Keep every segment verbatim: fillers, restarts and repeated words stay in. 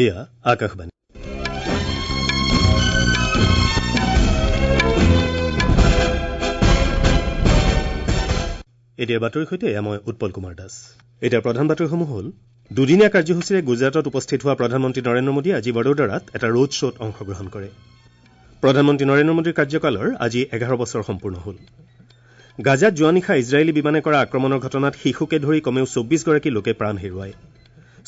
এয়া আকাশবাণী। এতিয়া বাতৰিৰ সৈতে এয়া মই উৎপল কুমাৰ দাস। এতিয়া প্ৰধান বাতৰিসমূহ হ'ল: দুদিনীয়া কাৰ্যসূচীৰে গুজৰাটত উপস্থিত হোৱা প্ৰধানমন্ত্ৰী নৰেন্দ্ৰ মোদীয়ে আজি বড়োদৰাত এটা ৰোড শ্ব'ত অংশগ্ৰহণ কৰে। প্ৰধানমন্ত্ৰী নৰেন্দ্ৰ মোদীৰ কাৰ্যকালৰ আজি এঘাৰ বছৰ সম্পূৰ্ণ হ'ল। গাজাত যোৱা নিশা ইজৰাইলী বিমানে কৰা আক্ৰমণৰ ঘটনাত শিশুকে ধৰি কমেও চৌব্বিছগৰাকী লোকে প্ৰাণ হেৰুৱায়।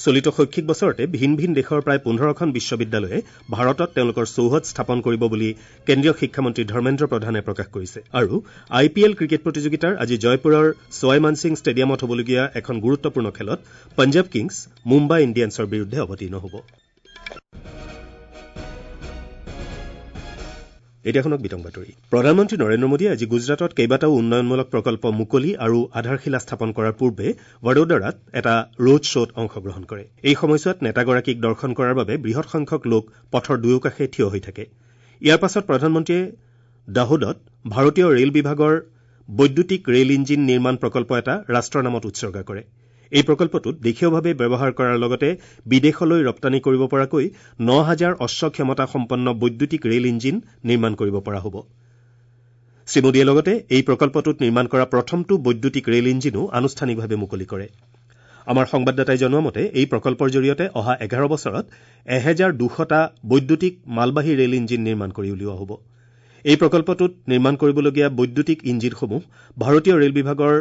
চলিত শৈক্ষিক বছৰতে ভিন ভিন দেশৰ প্ৰায় পোন্ধৰখন বিশ্ববিদ্যালয়ে ভাৰতত তেওঁলোকৰ চৌহদ স্থাপন কৰিব বুলি কেন্দ্ৰীয় শিক্ষামন্ত্ৰী ধৰ্মেন্দ্ৰ প্ৰধানে প্ৰকাশ কৰিছে। আৰু আই পি এল ক্ৰিকেট প্ৰতিযোগিতাৰ আজি জয়পুৰৰ ছৱাই মানসিং ষ্টেডিয়ামত হ'বলগীয়া এখন গুৰুত্বপূৰ্ণ খেলত পঞ্জাৱ কিংছ মুম্বাই ইণ্ডিয়ানছৰ বিৰুদ্ধে অৱতীৰ্ণ হ'ব। এতিয়া শুনক বিতং বাতৰি। প্ৰধানমন্ত্ৰী নৰেন্দ্ৰ মোদীয়ে আজি গুজৰাটত কেইবাটাও উন্নয়নমূলক প্ৰকল্প মুকলি আৰু আধাৰশিলা স্থাপন কৰাৰ পূৰ্বে বড়োদৰাত এটা ৰোড শ্ব'ত অংশগ্ৰহণ কৰে। এই সময়ছোৱাত নেতাগৰাকীক দৰ্শন কৰাৰ বাবে বৃহৎ সংখ্যক লোক পথৰ দুয়োকাষে থিয় হৈ থাকে। ইয়াৰ পাছত প্ৰধানমন্ত্ৰীয়ে দাহোদত ভাৰতীয় ৰেল বিভাগৰ বৈদ্যুতিক ৰেল ইঞ্জিন নিৰ্মাণ প্ৰকল্প এটা ৰাষ্ট্ৰৰ নামত উৎসৰ্গা কৰে। এই প্ৰকল্পটোত দেশীয়ভাৱে ব্যৱহাৰ কৰাৰ লগতে বিদেশলৈ ৰপ্তানি কৰিব পৰাকৈ ন হাজাৰ অশ্ব ক্ষমতা সম্পন্ন বৈদ্যুতিক ৰেল ইঞ্জিন নিৰ্মাণ কৰিব পৰা হ'ব। শ্ৰীমোদীয়ে লগতে এই প্ৰকল্পটোত নিৰ্মাণ কৰা প্ৰথমটো বৈদ্যুতিক ৰেল ইঞ্জিনো আনুষ্ঠানিকভাৱে মুকলি কৰে। আমাৰ সংবাদদাতাই জনোৱা মতে এই প্ৰকল্পৰ জৰিয়তে অহা এঘাৰ বছৰত এহেজাৰ দুশটা বৈদ্যুতিক মালবাহী ৰেল ইঞ্জিন নিৰ্মাণ কৰি উলিওৱা হ'ব। এই প্ৰকল্পটোত নিৰ্মাণ কৰিবলগীয়া বৈদ্যুতিক ইঞ্জিনসমূহ ভাৰতীয় ৰেল বিভাগৰ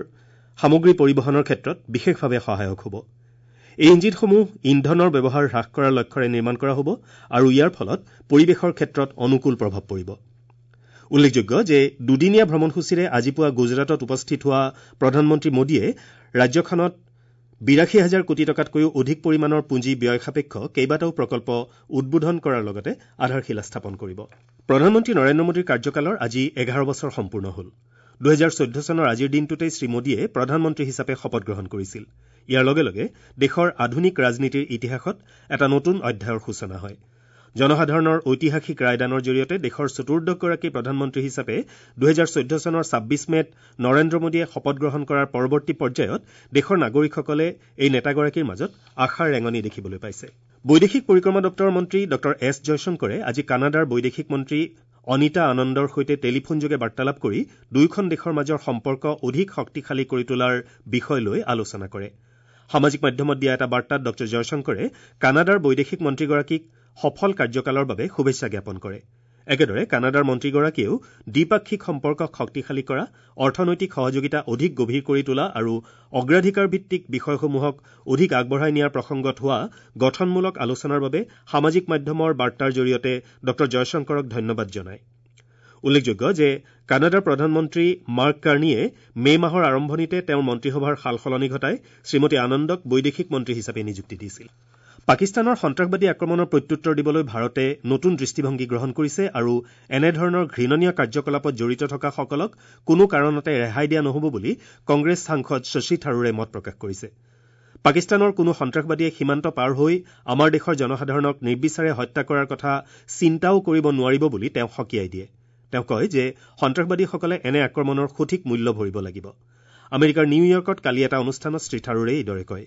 সামগ্ৰী পৰিবহণৰ ক্ষেত্ৰত বিশেষভাৱে সহায়ক হ'ব। এই ইঞ্জিনসমূহ ইন্ধনৰ ব্যৱহাৰ হ্ৰাস কৰাৰ লক্ষ্যৰে নিৰ্মাণ কৰা হ'ব আৰু ইয়াৰ ফলত পৰিৱেশৰ ক্ষেত্ৰত অনুকূল প্ৰভাৱ পৰিব। উল্লেখযোগ্য যে দুদিনীয়া ভ্ৰমণসূচীৰে আজি পুৱা গুজৰাটত উপস্থিত হোৱা প্ৰধানমন্ত্ৰী মোদীয়ে ৰাজ্যখনত বিৰাশী হাজাৰ কোটি টকাতকৈও অধিক পৰিমাণৰ পুঁজি ব্যয় সাপেক্ষ কেইবাটাও প্ৰকল্প উদ্বোধন কৰাৰ লগতে আধাৰশিলা স্থাপন কৰিব। প্ৰধানমন্ত্ৰী নৰেন্দ্ৰ মোদীৰ কাৰ্যকালৰ আজি এঘাৰ বছৰ সম্পূৰ্ণ হ'ল। দুহেজাৰ চৈধ্য চনৰ আজিৰ দিনটোতেই শ্ৰীমোদীয়ে প্ৰধানমন্ত্ৰী হিচাপে শপত গ্ৰহণ কৰিছিল। ইয়াৰ লগে লগে দেশৰ আধুনিক ৰাজনীতিৰ ইতিহাসত এটা নতুন অধ্যায়ৰ সূচনা হয়। জনসাধাৰণৰ ঐতিহাসিক ৰায়দানৰ জৰিয়তে দেশৰ চতুৰ্দশগৰাকী প্ৰধানমন্ত্ৰী হিচাপে দুহেজাৰ চৈধ্য চনৰ ছাব্বিছ মে'ত নৰেন্দ্ৰ মোদীয়ে শপত গ্ৰহণ কৰাৰ পৰৱৰ্তী পৰ্যায়ত দেশৰ নাগৰিকসকলে এই নেতাগৰাকীৰ মাজত আশাৰ ৰেঙনি দেখিবলৈ পাইছে। বৈদেশিক পৰিক্ৰমা দপ্তৰৰ মন্ত্ৰী ডঃ এছ জয়শংকৰে আজি কানাডাৰ বৈদেশিক মন্ত্ৰী অনিতা আনন্দৰ সৈতে টেলিফোনযোগে বাৰ্তালাপ কৰি দুয়োখন দেশৰ মাজৰ সম্পৰ্ক অধিক শক্তিশালী কৰি তোলাৰ বিষয় লৈ আলোচনা কৰে। সামাজিক মাধ্যমত দিয়া এটা বাৰ্তাত ডঃ জয়শংকৰে কানাডাৰ বৈদেশিক মন্ত্ৰীগৰাকীক সফল কাৰ্যকালৰ বাবে শুভেচ্ছা জ্ঞাপন কৰে। একেদৰে কানাডাৰ মন্ত্ৰীগৰাকীয়েও দ্বিপাক্ষিক সম্পৰ্কক শক্তিশালী কৰা, অৰ্থনৈতিক সহযোগিতা অধিক গভীৰ কৰি তোলা আৰু অগ্ৰাধিকাৰ ভিত্তিক বিষয়সমূহক অধিক আগবঢ়াই নিয়াৰ প্ৰসংগত হোৱা গঠনমূলক আলোচনাৰ বাবে সামাজিক মাধ্যমৰ বাৰ্তাৰ জৰিয়তে ডঃ জয়শংকৰক ধন্যবাদ জনায়। উল্লেখযোগ্য যে কানাডাৰ প্ৰধানমন্ত্ৰী মাৰ্ক কাৰ্নিয়ে মে' মাহৰ আৰম্ভণিতে তেওঁৰ মন্ত্ৰীসভাৰ সাল সলনি ঘটাই শ্ৰীমতী আনন্দক বৈদেশিক মন্ত্ৰী হিচাপে নিযুক্তি দিছিল। পাকিস্তানৰ সন্ত্ৰাসবাদী আক্ৰমণৰ প্ৰত্যুত্তৰ দিবলৈ ভাৰতে নতুন দৃষ্টিভংগী গ্ৰহণ কৰিছে আৰু এনেধৰণৰ ঘৃণনীয় কাৰ্যকলাপত জড়িত থকাসকলক কোনো কাৰণতে ৰেহাই দিয়া নহ'ব বুলি কংগ্ৰেছ সাংসদ শশী থাৰুৰে মত প্ৰকাশ কৰিছে। পাকিস্তানৰ কোনো সন্ত্ৰাসবাদীয়ে সীমান্ত পাৰ হৈ আমাৰ দেশৰ জনসাধাৰণক নিৰ্বিচাৰে হত্যা কৰাৰ কথা চিন্তাও কৰিব নোৱাৰিব বুলি তেওঁ সকীয়াই দিয়ে। তেওঁ কয় যে সন্ত্ৰাসবাদীসকলে এনে আক্ৰমণৰ সঠিক মূল্য ভৰিব লাগিব। আমেৰিকাৰ নিউয়ৰ্কত কালি এটা অনুষ্ঠানত শ্ৰীথাৰুৰে এইদৰে কয়।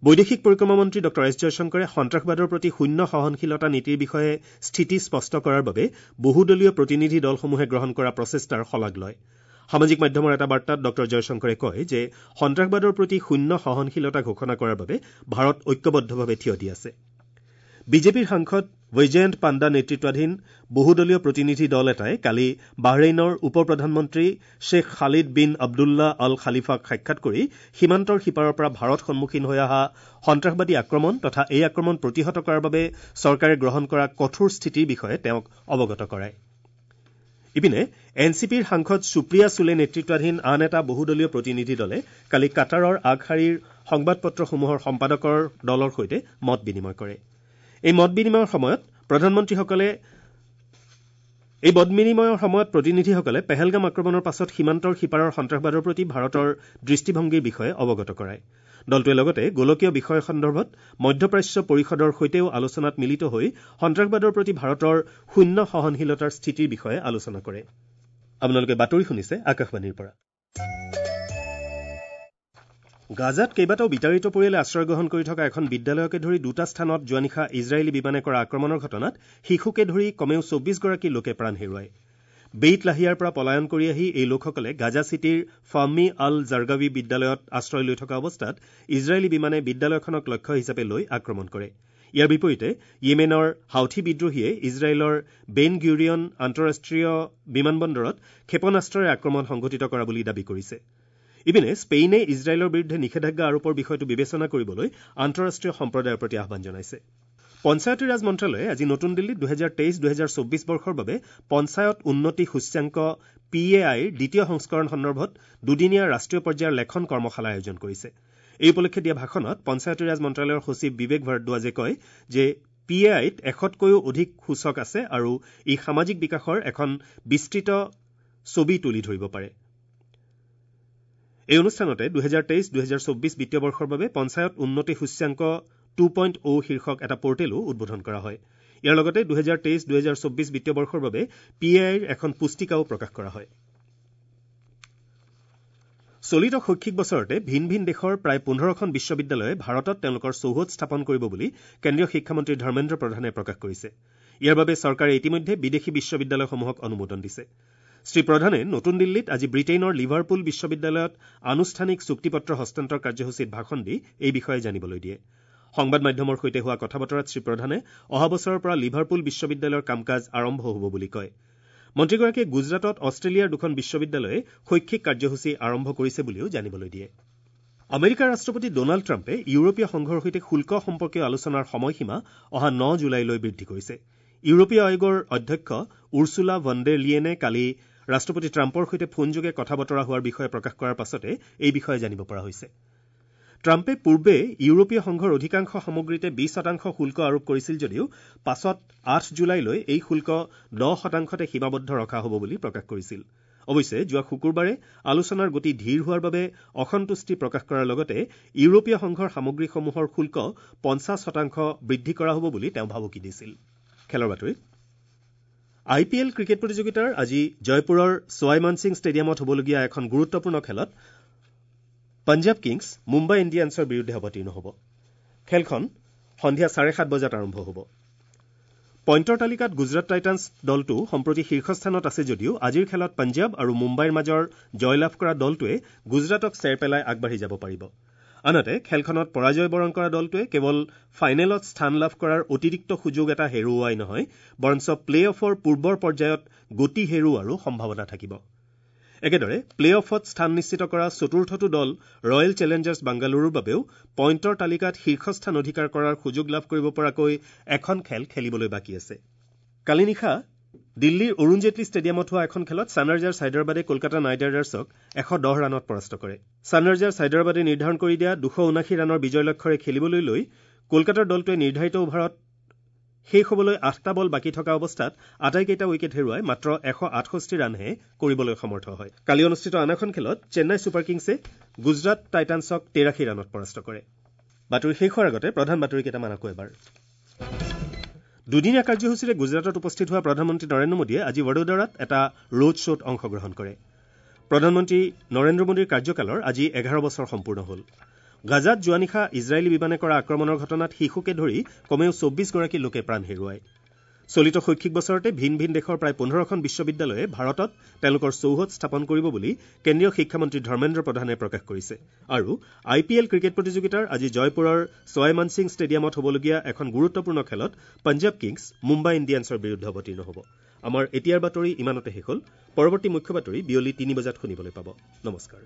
বৈদেশিক পৰিক্ৰমা মন্ত্ৰী ডঃ এছ জয়শংকৰে সন্ত্ৰাসবাদৰ প্ৰতি শূন্য সহনশীলতা নীতিৰ বিষয়ে স্থিতি স্পষ্ট কৰাৰ বাবে বহুদলীয় প্ৰতিনিধি দলসমূহে গ্ৰহণ কৰা প্ৰচেষ্টাৰ শলাগ লয়। সামাজিক মাধ্যমৰ এটা বাৰ্তাত ডঃ জয়শংকৰে কয় যে সন্ত্ৰাসবাদৰ প্ৰতি শূন্য সহনশীলতা ঘোষণা কৰাৰ বাবে ভাৰত ঐক্যবদ্ধভাৱে থিয় দি আছে। বিজেপিৰ সাংসদ বৈজয়ন্ত পাণ্ডা নেতৃত্বাধীন বহুদলীয় প্ৰতিনিধি দল এটাই কালি বাহৰেইনৰ উপ প্ৰধানমন্ত্ৰী শ্বেখ খালিদ বিন আব্দুল্লাহ আল খালিফাক সাক্ষাৎ কৰি সীমান্তৰ সিপাৰৰ পৰা ভাৰত সন্মুখীন হৈ অহা সন্ত্ৰাসবাদী আক্ৰমণ তথা এই আক্ৰমণ প্ৰতিহত কৰাৰ বাবে চৰকাৰে গ্ৰহণ কৰা কঠোৰ স্থিতিৰ বিষয়ে তেওঁক অৱগত কৰায়। ইপিনে এন চি পিৰ সাংসদ সুপ্ৰিয়া চুলে নেতৃত্বাধীন আন এটা বহুদলীয় প্ৰতিনিধি দলে কালি কাটাৰৰ আগশাৰীৰ সংবাদপত্ৰসমূহৰ সম্পাদকৰ দলৰ সৈতে মত বিনিময় কৰে। এই মত বিনিময়ৰ সময়ত প্ৰধানমন্ত্ৰীসকলে এই মত বিনিময়ৰ সময়ত প্ৰতিনিধিসকলে পেহেলগাম আক্ৰমণৰ পাছত সীমান্তৰ সিপাৰৰ সন্ত্ৰাসবাদৰ প্ৰতি ভাৰতৰ দৃষ্টিভংগীৰ বিষয়ে অৱগত কৰায়। দলটোৱে লগতে গোলকীয় বিষয় সন্দৰ্ভত মধ্যপ্ৰাচ্য পৰিষদৰ সৈতেও আলোচনাত মিলিত হৈ সন্ত্ৰাসবাদৰ প্ৰতি ভাৰতৰ শূন্য সহনশীলতাৰ স্থিতিৰ বিষয়ে আলোচনা কৰে। আপোনালোকে বাতৰি শুনিছে আকাশবাণীৰ পৰা। গাজাত কেইবাটাও বিতাড়িত পৰিয়ালে আশ্ৰয় গ্ৰহণ কৰি থকা এখন বিদ্যালয়কে ধৰি দুটা স্থানত যোৱা নিশা ইজৰাইলী বিমানে কৰা আক্ৰমণৰ ঘটনাত শিশুকে ধৰি কমেও চৌব্বিছগৰাকী লোকে প্ৰাণ হেৰুৱায়। বেইট লাহিয়াৰ পৰা পলায়ন কৰি আহি এই লোকসকলে গাজা চিটিৰ ফাহমি আল জাৰ্গাৱী বিদ্যালয়ত আশ্ৰয় লৈ থকা অৱস্থাত ইজৰাইলী বিমানে বিদ্যালয়খনক লক্ষ্য হিচাপে লৈ আক্ৰমণ কৰে। ইয়াৰ বিপৰীতে য়েমেনৰ হাউথি বিদ্ৰোহীয়ে ইজৰাইলৰ বেন গুৰিয়ন আন্তঃৰাষ্ট্ৰীয় বিমানবন্দৰত ক্ষেপণাস্ত্ৰৰে আক্ৰমণ সংঘটিত কৰা বুলি দাবী কৰিছে। ইপিনে স্পেইনে ইজৰাইলৰ বিৰুদ্ধে নিষেধাজ্ঞা আৰোপৰ বিষয়টো বিবেচনা কৰিবলৈ আন্তঃৰাষ্ট্ৰীয় সম্প্ৰদায়ৰ প্ৰতি আহ্বান জনাইছে। পঞ্চায়তীৰাজ মন্ত্ৰালয়ে আজি নতুন দিল্লীত দুহেজাৰ তেইছ দুহেজাৰ চৌব্বিছ বৰ্ষৰ বাবে পঞ্চায়ত উন্নতি সূচ্যাংক পি এ আইৰ দ্বিতীয় সংস্কৰণ সন্দৰ্ভত দুদিনীয়া ৰাষ্ট্ৰীয় পৰ্যায়ৰ লেখন কৰ্মশালা আয়োজন কৰিছে। এই উপলক্ষে দিয়া ভাষণত পঞ্চায়তীৰাজ মন্ত্ৰালয়ৰ সচিব বিবেক ভৰদ্বাজে কয় যে পি এ আইত এশতকৈও অধিক সূচক আছে আৰু ই সামাজিক বিকাশৰ এখন বিস্তৃত ছবি তুলি ধৰিব পাৰে। এই অনুষ্ঠানতে দুহেজাৰ তেইছ দুহেজাৰ চৌব্বিছ বিত্তীয় বৰ্ষৰ বাবে পঞ্চায়ত উন্নতি সূচ্যাংক টু পইণ্ট অ' শীৰ্ষক এটা পৰ্টেলো উদ্বোধন কৰা হয়। ইয়াৰ লগতে দুহেজাৰ তেইছ দুহেজাৰ চৌব্বিছ বিত্তীয় বৰ্ষৰ বাবে পি এ আইৰ এখন পুস্তিকাও প্ৰকাশ কৰা হয়। চলিত শৈক্ষিক বছৰতে ভিন ভিন দেশৰ প্ৰায় পোন্ধৰখন বিশ্ববিদ্যালয়ে ভাৰতত তেওঁলোকৰ চৌহদ স্থাপন কৰিব বুলি কেন্দ্ৰীয় শিক্ষামন্ত্ৰী ধৰ্মেন্দ্ৰ প্ৰধানে প্ৰকাশ কৰিছে। ইয়াৰ বাবে চৰকাৰে ইতিমধ্যে বিদেশী বিশ্ববিদ্যালয়সমূহক অনুমোদন দিছে। শ্ৰী প্ৰধানে নতুন দিল্লীত আজি ব্ৰিটেইনৰ লিভাৰপুল বিশ্ববিদ্যালয়ত আনুষ্ঠানিক চুক্তিপত্ৰ হস্তান্তৰ কাৰ্যসূচীত ভাষণ দি এই বিষয়ে জানিবলৈ দিয়ে। সংবাদ মাধ্যমৰ সৈতে হোৱা কথা বতৰাত শ্ৰী প্ৰধানে অহা বছৰৰ পৰা লিভাৰপুল বিশ্ববিদ্যালয়ৰ কাম কাজ আৰম্ভ হ'ব বুলি কয়। মন্ত্ৰীগৰাকীয়ে গুজৰাটত অষ্ট্ৰেলিয়াৰ দুখন বিশ্ববিদ্যালয়ে শৈক্ষিক কাৰ্যসূচী আৰম্ভ কৰিছে বুলিও জানিবলৈ দিয়ে। আমেৰিকাৰ ৰাষ্ট্ৰপতি ডনাল্ড ট্ৰাম্পে ইউৰোপীয় সংঘৰ সৈতে শুল্ক সম্পৰ্কীয় আলোচনাৰ সময়সীমা অহা ন জুলাইলৈ বৃদ্ধি কৰিছে। ইউৰোপীয় আয়োগৰ অধ্যক্ষ উৰ্চুলা ভন ডেৰ লিয়েনে কালি ৰাষ্ট্ৰপতি ট্ৰাম্পৰ সৈতে ফোনযোগে কথা বতৰা হোৱাৰ বিষয়ে প্ৰকাশ কৰাৰ পাছতে এই বিষয়ে জানিব পৰা হৈছে। ট্ৰাম্পে পূৰ্বে ইউৰোপীয় সংঘৰ অধিকাংশ সামগ্ৰীতে বিশ শতাংশ শুল্ক আৰোপ কৰিছিল যদিও পাছত আঠ জুলাইলৈ এই শুল্ক দহ শতাংশতে সীমাবদ্ধ ৰখা হ'ব বুলি প্ৰকাশ কৰিছিল। অৱশ্যে যোৱা শুকুৰবাৰে আলোচনাৰ গতি ধীৰ হোৱাৰ বাবে অসন্তুষ্টি প্ৰকাশ কৰাৰ লগতে ইউৰোপীয় সংঘৰ সামগ্ৰীসমূহৰ শুল্ক পঞ্চাছ শতাংশ বৃদ্ধি কৰা হ'ব বুলি তেওঁ ভাবুকি দিছিল। খেলৰ বাতৰি। আই পি এল ক্ৰিকেট প্ৰতিযোগিতাৰ আজি জয়পুৰৰ ছৱাই মানসিং ষ্টেডিয়ামত হ'বলগীয়া এখন গুৰুত্বপূৰ্ণ খেলত পঞ্জাৱ কিংছ মুম্বাই ইণ্ডিয়ানছৰ বিৰুদ্ধে অৱতীৰ্ণ হ'ব। খেলখন সন্ধিয়া চাৰে সাত বজাত আৰম্ভ হ'ব। পইণ্টৰ তালিকাত গুজৰাট টাইটানছ দলটো সম্প্ৰতি শীৰ্ষস্থানত আছে যদিও আজিৰ খেলত পঞ্জাৱ আৰু মুম্বাইৰ মাজৰ জয়লাভ কৰা দলটোৱে গুজৰাটক চেৰ পেলাই আগবাঢ়ি যাব পাৰিব। আনহাতে খেলখনত পৰাজয় বৰণ কৰা দলটোৱে কেৱল ফাইনেলত স্থান লাভ কৰাৰ অতিৰিক্ত সুযোগ এটা হেৰুওৱাই নহয়, বৰঞ্চ প্লে অফৰ পূৰ্বৰ পৰ্যায়ত গতি হেৰুওৱাৰো সম্ভাৱনা থাকিব। একেদৰে প্লে অফত স্থান নিশ্চিত কৰা চতুৰ্থটো দল ৰয়েল চেলেঞ্জাৰ্ছ বাংগালুৰুৰ বাবেও পইণ্টৰ তালিকাত শীৰ্ষস্থান অধিকাৰ কৰাৰ সুযোগ লাভ কৰিব পৰাকৈ এখন খেল খেলিবলৈ বাকী আছে। কালি নিশা দিল্লীৰ অৰুণ জেটলী ষ্টেডিয়ামত হোৱা এখন খেলত ছানৰাইজাৰ্ছ হায়দৰাবাদে কলকাতা নাইট ৰাইডাৰ্ছক এশ দহ ৰানত পৰাস্ত কৰে। ছানৰাইজাৰ্ছ হায়দৰাবাদে নিৰ্ধাৰণ কৰি দিয়া দুশ ঊনাশী ৰানৰ বিজয় লক্ষ্যৰে খেলিবলৈ লৈ কলকাতাৰ দলটোৱে নিৰ্ধাৰিত অভাৰত শেষ হ'বলৈ আঠটা বল বাকী থকা অৱস্থাত আটাইকেইটা উইকেট হেৰুৱাই মাত্ৰ এশ আঠষষ্ঠি ৰানহে কৰিবলৈ সমৰ্থ হয়। কালি অনুষ্ঠিত আন এখন খেলত চেন্নাই ছুপাৰ কিংছে গুজৰাট টাইটানছক তেৰাশী ৰানত পৰাস্ত কৰে। বাতৰি শেষ হোৱাৰ আগতে প্ৰধান বাতৰি কেইটামান আকৌ এবাৰ। দুদিনীয়া কাৰ্যসূচীৰে গুজৰাটত উপস্থিত হোৱা প্ৰধানমন্ত্ৰী নৰেন্দ্ৰ মোদীয়ে আজি বড়োদৰাত এটা ৰোড শ্ব'ত অংশগ্ৰহণ কৰে। প্ৰধানমন্ত্ৰী নৰেন্দ্ৰ মোদীৰ কাৰ্যকালৰ আজি এঘাৰ বছৰ সম্পূৰ্ণ হ'ল। গাজাত যোৱা নিশা ইজৰাইলী বিমানে কৰা আক্ৰমণৰ ঘটনাত শিশুকে ধৰি কমেও চৌব্বিছগৰাকী লোকে প্ৰাণ হেৰুৱায়। চলিত শৈক্ষিক বছৰতে ভিন ভিন দেশৰ প্ৰায় পোন্ধৰখন বিশ্ববিদ্যালয়ে ভাৰতত তেওঁলোকৰ চৌহদ স্থাপন কৰিব বুলি কেন্দ্ৰীয় শিক্ষামন্ত্ৰী ধৰ্মেন্দ্ৰ প্ৰধানে প্ৰকাশ কৰিছে। আৰু আই পি এল ক্ৰিকেট প্ৰতিযোগিতাৰ আজি জয়পুৰৰ ছৱাই মানসিং ষ্টেডিয়ামত হ'বলগীয়া এখন গুৰুত্বপূৰ্ণ খেলত পঞ্জাৱ কিংছ মুম্বাই ইণ্ডিয়ানছৰ বিৰুদ্ধে অৱতীৰ্ণ হ'ব। আমাৰ এতিয়াৰ বাতৰি ইমানতে শেষ হ'ল। পৰৱৰ্তী মুখ্য বাতৰি বিয়লি তিনি বজাত শুনিবলৈ পাব। নমস্কাৰ।